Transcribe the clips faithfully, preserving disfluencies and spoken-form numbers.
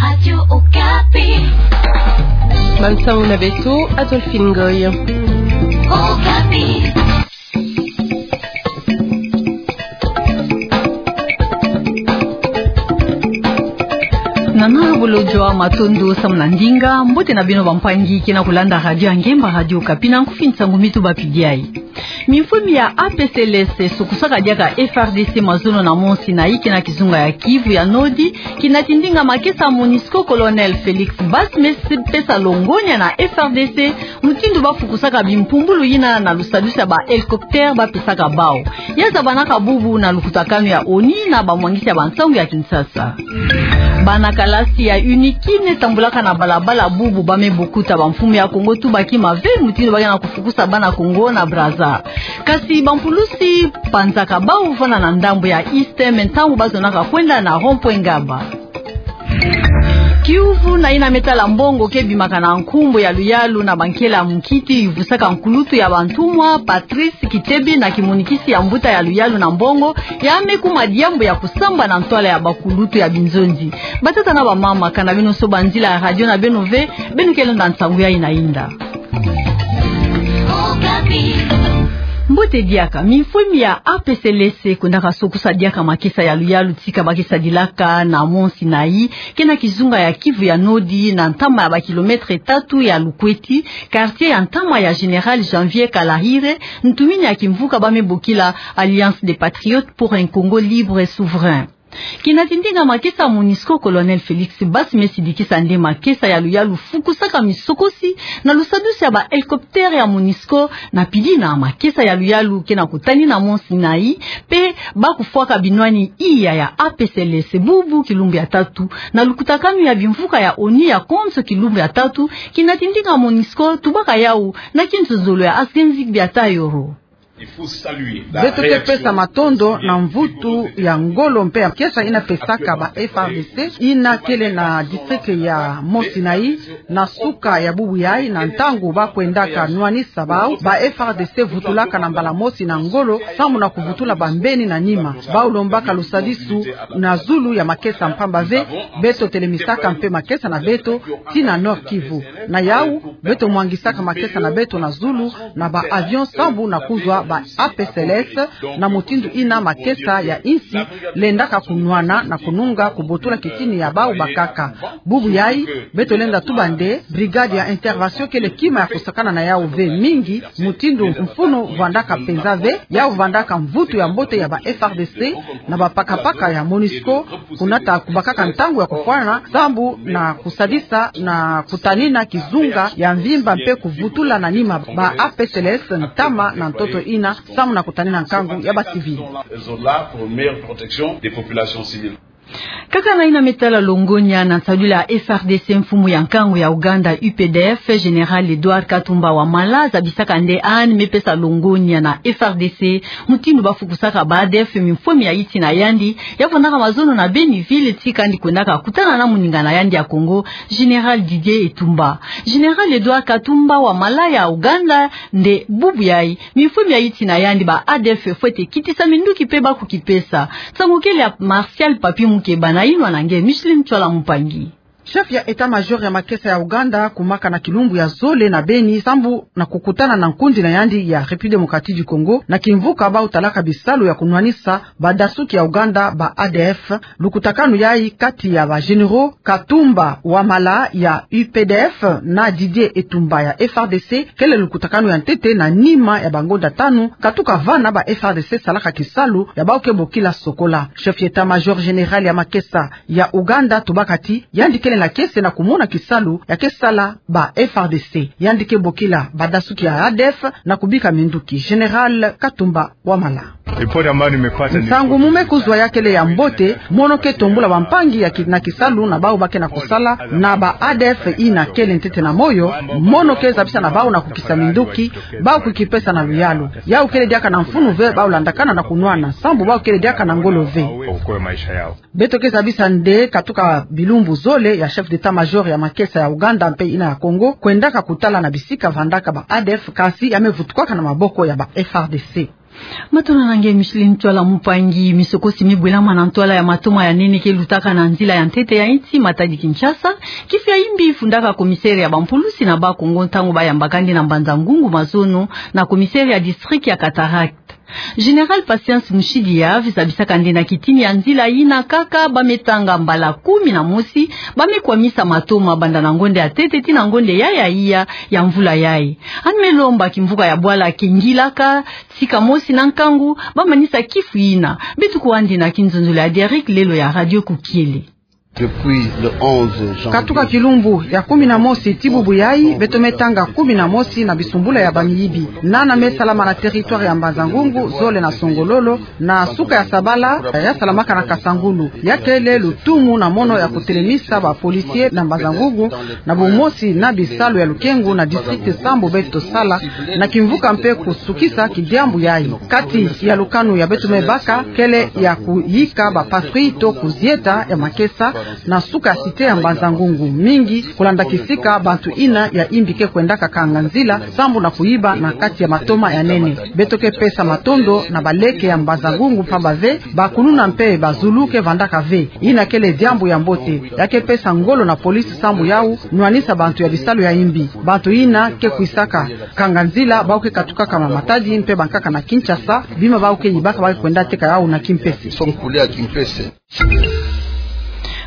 Radio Okapi. Bansangu na beto, Adolphine Ngoy. Okapi. Nana bolodjwa, matondo samu na ndinga. Mbote na beno bampangi ke na kulanda radio ya ngemba, Radio Okapi, na nkufi nsangu mi tubapidi ayi. Mifumi ya A P C L S sokusaka diaka F R D C mazono na Mont Sinaï, ke na kizunga ya Kivu ya Nord, kinati ndinga makesa MONUSCO, Colonel Félix Basse me pesa longonya na F R D C, mutindu bafukusaka bimpumbulu yina na lusadusu ya ba hélicoptère bapesaka bawu. Ya zabanaka bubu na lukutakanu ya ONU na bamwangisi ya bansangu ya Kinshasa. Bana kalasi ya UNIKI me tambulaka na balabala bubu ba me bokuta bamfumu ya Kongo tubaki mave mutindu ba ke na kufukusa bana Kongo na Brazza. Kasi bampulusi panzaka bawu vanda na ndambu ya East me ntangu bazonaka kwenda na rond-point Ngaba. Kiuvu na yina me tala mbongo ke bimaka na nkumbu ya luyalu na bankela ya munkiti yuvusaka nkulutu ya bantumwa, Patrice Kitebi, na kimonikisi ya mbuta ya luyalu na mbongo, ya me kuma diambu ya kusamba na ntwala ya bakulutu ya binzonzi. Batata na bamama, kanda beno soba nzila ya radio na beno ve, beno ke landa nsangu yayi na inda. Mbote diaka. Mifumi ya A P C L S kwendaka sokusa diaka makesa ya luyalu tika ba ke sadilaka na Mont Sinaï, ke na kizunga ya Kivu ya Nord, na ntama ya bakilomètre tatu ya Lukweti, quartier ya ntama ya Général Janvier Kalahire, ntumini ya kimvuka ba me bokila Alliance des Patriotes pour un Congo libre et souverain. Kinati ndinga makesa MONUSCO, Colonel Félix Basse me sidikisa nde makesa ya luyalu fukusaka misokosi na lusadusu ya ba hélicoptère ya MONUSCO, na pidi na makesa ya luyalu ke na kutani na Mont Sinaï, mpe ba kufwaka binwani iya ya A P C L S bubu kilumbu ya tatu, na lukutakanu ya bimvuka ya ONU ya konso kilumbu ya tatu. Kinati ndinga MONUSCO tubaka yawu na kinzonzolo ya Asgenzi Biata Yoro. Beto ke pesa matondo na mvutu ya ngolo mpe ya makesa yina pesaka ba F R D C, yina kele na district ya Mont Sinaï, na suka ya bubu yayi, na ntangu ba kwendaka nwanisa bawu, ba F R D C vutulaka na mbala mosi na ngolo, samu na kuvutula bambeni na nima. Bawu lombaka lusadisu na zulu ya makesa mpamba ve, beto telemisaka mpe makesa na beto tii na Nord-Kivu. Na yawu, beto mwangisaka makesa na beto na zulu na ba avion sambu na kuzwa ba A P C L S, na mutindu yina makesa ya insi lendaka kunwana na kununga kubotula kitini ya bawu bakaka. Bubu yayi, beto lenda tuba nde brigade ya intervention kele kima ya kusakana na yawu ve mingi, mutindu mfunu vandaka mpenza ve, yawu vandaka mvutu ya mbote ya ba F R D C na bapakapaka ya MONUSCO, kunata kubakaka ntangu ya kufwana, sambu na kusadisa na kutanina kizunga ya mvimba mpe kuvutula na nima ba A P C L S ntama na ntoto yina, samu na kutanina nkangu ya ba civil. Elles sont là pour une meilleure protection des populations civiles. Kaka na yina me tala longonya na nsadulu ya F R D C, mfumu ya nkangu ya Ouganda, U P D F, Général Edouard Katumba Wamala, zabisaka nde yandi me pesa longonya na F R D C mutindu bafukusaka ba A D F mifumi ya yiti na yandi, ya vandaka mazono na Beni-Ville, tii kandi kwendaka kutana na moninga na yandi ya Congo, Général Didier Etumba. Général Edouard Katumba Wamala ya Ouganda, nde bubu yayi mifumi ya yiti na yandi ba A D F fwete kitisa minduki mpe ba kukipesa. Nsangu kele ya Martial Papi Mukeba na yinwa na nge Micheline Tchwala Mpangi. Chef ya état-major ya makesa ya Ouganda akumaka na kilumbu ya zole na Beni sambu na kukutana na nkundi na yandi ya République démocratique du Congo na kimvuka bawu talaka bisalu ya kunwanisa badasuki ya Ouganda ba A D F. Lukutakanu yayi kati ya ba généraux Katumba Wamala ya U P D F na Didier Etumba ya F R D C kele lukutakanu ya ntete na nima ya bangonda tanu katuka vana ba F R D C salaka kisalu ya bawu ke bokila Sokola. Chef ya état-major général ya makesa ya Ouganda tubaka ti yandi kele na kiese na kumona kisalu ya ke sala ba F R D C. Yandi ke bokila badasuki ya A D F na kubika minduki. Général Katumba Wamala. Ripoti ambayo nimepata ni... Nsangu mu me kuzwa ya kele ya mbote, mono ke tombula bampangi ya ki-, na kisalu na bawu ba ke na kusala na ba A D F yina kele ntete na moyo, mono ke zabisa na bawu na kukisa minduki, bawu kukipesa na luyalu. Yawu kele diaka na mfunu ve bawu landakana na kunwana, sambu bawu kele diaka na ngolo ve. Beto ke zabisa nde katuka bilumbu zole ya chef d'état-major ya makesa ya Ouganda mpe yina ya Congo kwendaka kutala na bisika vandaka ba A D F, kasi ya me vutukwaka na maboko ya ba F R D C. Matondo na nge Micheline Ntwala Mpangi. Misokosi mibwelama na ntwala ya matoma ya nene ke lutaka na nzila ya ntete ya insi, matadi Kinshasa. Kifu ya imbi fundaka commissaire ya bampulusi na Bas-Congo ntangu bayambaka nde na Mbanza-Ngungu mazono na commissaire ya district ya Cataractes. Général Patience Mouchidiya zabisaka nde na kitini ya nzila yina kaka ba me tanga mbala kumi na mosi, ba me kwamisa matoma banda na ngonda ya ntete tii na ngonda ya ya iya ya mvula yayi. Ani me lomba kimvuka ya bwala ke ngilaka sika mosi na nkangu ba manisa kifu yina. Beto kwandi na kinzonzolo ya Derrick Lelo ya Radio Kukiele. Depuis le onze janvier. Katuka kilumbu ya kumi na mosi tii bubu yayi, beto me tanga kumi na mosi na bisumbula ya bamiyibi. Nana me salama na territoire ya Mbanza-Ngungu, zole na Songololo, na suka ya Sabala, ya salamaka na Kasangulu. Ya kele lutumu na mono ya kutelemisa ba policiers na Mbanza-Ngungu, na bumosi na bisalu ya lukengu na district sambu beto sala, na kimvuka mpe kusukisa kidiambu yayi. Kati ya lukanu ya beto me baka, kele ya kuyika ba patrouilles to kuzieta ya makesa na suka ya cité ya Mbanza-Ngungu, mingi kulanda kisika bantu yina ya imbi ke kwendaka kanga nzila, sambu na kuyiba na kati ya matoma ya nene. Beto ke pesa matondo na baleke ya Mbanza-Ngungu mpamba ve bakuluna mpe bazulu ke vandaka ve. Yina kele diambu ya mbote. Ya ke pesa ngolo na police sambu yau nwanisa bantu ya bisalu ya imbi. Bantu yina ke kwisaka kanga nzila, bau ke katukaka na Matadi mpe bankaka na Kinshasa, bima bau ke yibaka bau ke kwenda teka yau na Kimpese.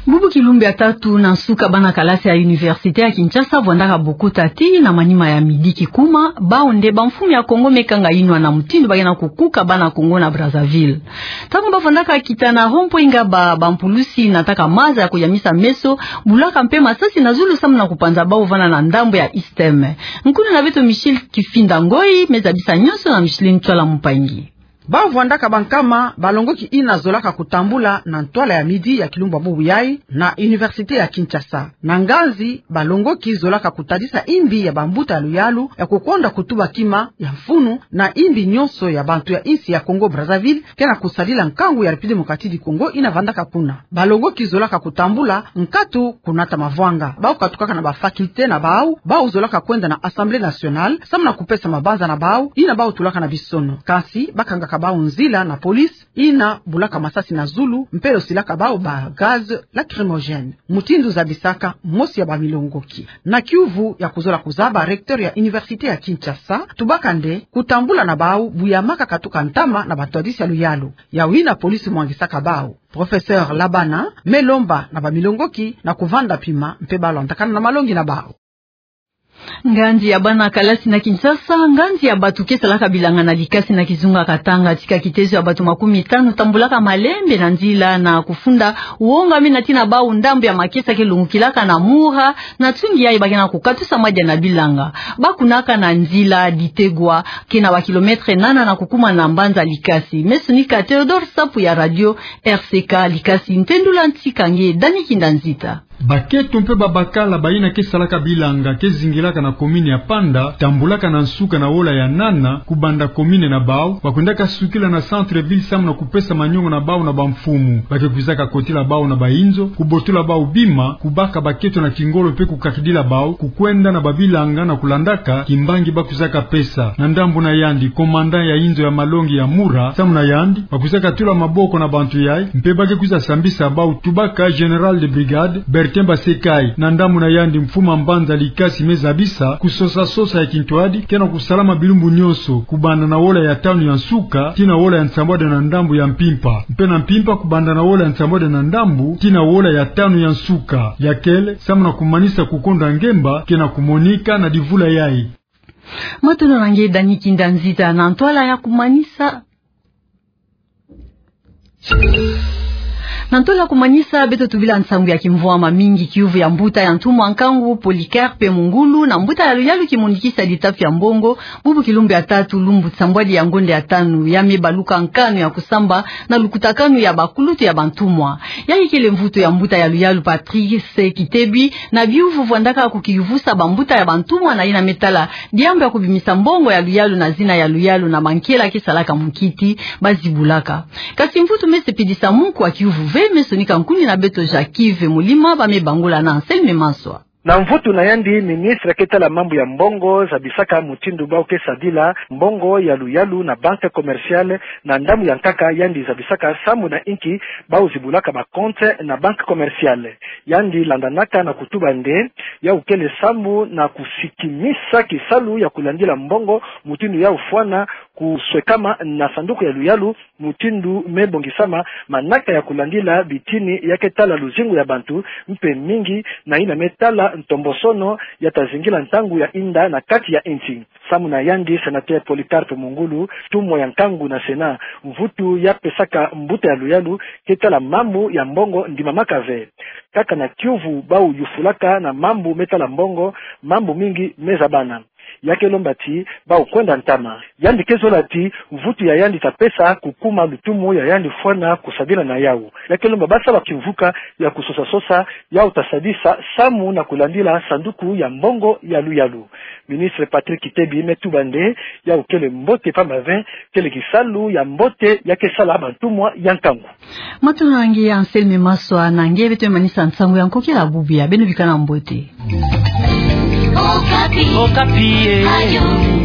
Bubu kilumbu ya tatu na nsuka, bana kalasi ya université ya Kinshasa vwandaka bukuta tii na manima ya midi kikuma. Bau nde bamfumu ya Congo me kanga yinwa na mutindu ba ke na kukuka bana Congo na Brazzaville. Ntangu ba vwandaka kita na rond-point Ngaba, bampulusi nataka maza ya kuyamisa meso, bulaka mpe masasi na zulu samu na kupanza bau vanda na ndambu ya ISTEM. Nkuna na beto Michel Kifinda Ngoi me zabisa nyonso na Micheline Ntwala Mpangi. Bau vwandaka bankama balongoki yina zolaka kutambula na ntwala ya midi ya kilumbu ya bubu yayi na université ya Kinshasa. Na nganzi, balongoki zolaka kutadisa imbi ya bambuta ya luyalu ya kukonda kutuba kima ya mfunu na imbi nyonso ya bantu ya insi ya Congo Brazzaville ke na kusadila nkangu ya République Démocratique du Congo yina vandaka kuna. Balongoki zolaka kutambula nkatu kunata mavwanga. Bau katukaka na ba facultés na bau, bau zolaka kwenda na Assemblée nationale samu na kupesa mabanza na bau yina bau tulaka na bisono. Kasi bakangaka bau nzila na police yina bulaka masasi na zulu mpe yosilaka bau ba gaz lacrymogène, mutindu zabisaka mosi ya bamilongoki. Na kiuvu ya kuzola kuzaba, recteur ya université ya Kinshasa tubaka nde kutambula na bau buyamaka katuka ntama na batwadisi ya luyalu. Yau yina police mwangisaka bau. Professeur Labana me lomba na bamilongoki na kuvanda pima mpe ba landakana na malongi na bau. Nganzi ya bana kalasi na Kinshasa, nganzi ya batu ke salaka bilanga na Likasi na kizunga Katanga, tika kitezo ya batu makumitanu tambulaka malembe na nzila na kufunda wonga mina tii na bau ndambu ya makesa ke lungukilaka na Mura, na tsungi yayi ba ke na kukatusa madia na bilanga. Ba kunaka na nzila Ditegwa, ke na ba kilomètre nana na kukuma na mbanza Likasi. Me sonika Théodore Sapu ya radio R C K Likasi, ntendula ntika nge Dani Kinda Nzita. Baketo mpe babakala bayina ke salaka bilanga ke zingilaka na commune ya Panda, tambulaka na nsuka na wola ya nana, kubanda commune na bau, ba kwendaka sukila na centre-ville samu na kupesa maniongo na bau na bamfumu. Ba ke kwizaka kotila bau na bainzo, kubotula bau bima, kubaka baketo na kingolo mpe kukakidila bau kukwenda na babilanga na kulandaka kimbangi ba kwizaka pesa. Na ndambu na yandi, commandant ya inzo ya malongi ya Mura, samu na yandi, ba kwizaka tula maboko na bantu yayi, mpe ba ke kwiza sambisa bau, tubaka général de brigade Bertin Basekayi. Na ndambu na yandi, mfumu a mbanza Likasi me zabisa kusosa-sosa ya kintwadi ke na kusalama bilumbu nyonso, kubanda na wola ya tanu ya nsuka tii na wola ya nsambwadi na ndambu ya mpimpa, mpe na mpimpa kubanda na wola ya nsambwadi na ndambu tii na wola ya tanu ya nsuka. Ya kele samu na kumanisa kukonda ngemba ke na kumonika na divula yayi. Matondo na nge Dani Kinda Nzita. Na ntwala ya kumanisa, na ntwala ya kumanisa, beto tubila nsangu ya kimvwama mingi kiuvu ya mbuta ya ntumwa nkangu Polycarpe Mungulu na mbuta ya luyalu kimonikisi ya ditafu ya mbongo, bubu kilumbu ya tatu lumbu nsambwadi ya ngonda ya tanu, ya me baluka nkanu ya kusamba na lukutakanu ya bakulutu ya bantumwa. Yayi kele mvutu ya mbuta ya luyalu Patrice Kitebi na biuvu vwandaka kukiyuvusa bambuta ya bantumwa na yina me tala diambu ya kubimisa mbongo ya luyalu na zina ya luyalu na mankela ke salaka mukiti ba zibulaka. Kasi mvutu me sepelisa muku wa kiuvu ve, me sonika nkuni na beto Jacques Yves Mulima, ba me bangula na Anselme Manswa. Na mvutu na yandi, ministre ke tala mambu ya mbongo zabisaka mutindu bau ke sadila mbongo ya luyalu na banque commerciale, na ndambu ya nkaka yandi zabisaka sambu na inki bau zibulaka ba compte na banque commerciale. Yandi landanaka na kutuba nde yau kele sambu na kusikimisa kisalu ya kulandila mbongo mutindu yau fwana kuswekama na sanduku ya luyalu, mutindu me bongisama manaka ya kulandila bitini ya ke tala luzingu ya bantu, mpe mingi na yina me tala ntombosono ya ta zingila ntangu ya inda na kati ya insi. Sambu na yandi, sénateur Polycarpe Mungulu, ntumwa ya nkangu na Sénat, mvutu ya pesaka mbuta ya luyalu ke tala mambu ya mbongo ndimamaka ve. Kaka na kiuvu bau yufulaka na mambu me tala mbongo, mambu mingi me zabana. Ya ke lomba ti bau kwenda ntama. Yandi ke zola ti mvutu ya yandi ta pesa kukuma lutumu ya yandi fwana kusadila na yau. Ya ke lomba ba sala kimvuka ya kusosa-sosa yau ta sadisa samu na kulandila sanduku ya mbongo ya luyalu. Ministre Patrick Kitebi me tuba nde yau kele mbote pamba ve, kele kisalu ya mbote ya ke sala bantumwa ya nkangu. Matuhana nge Anselme Maswa, na nge beto manisa nsangu ya nkokila bubu ya, beno bikana mbote. Okapi. Okapi, eh. Ayo.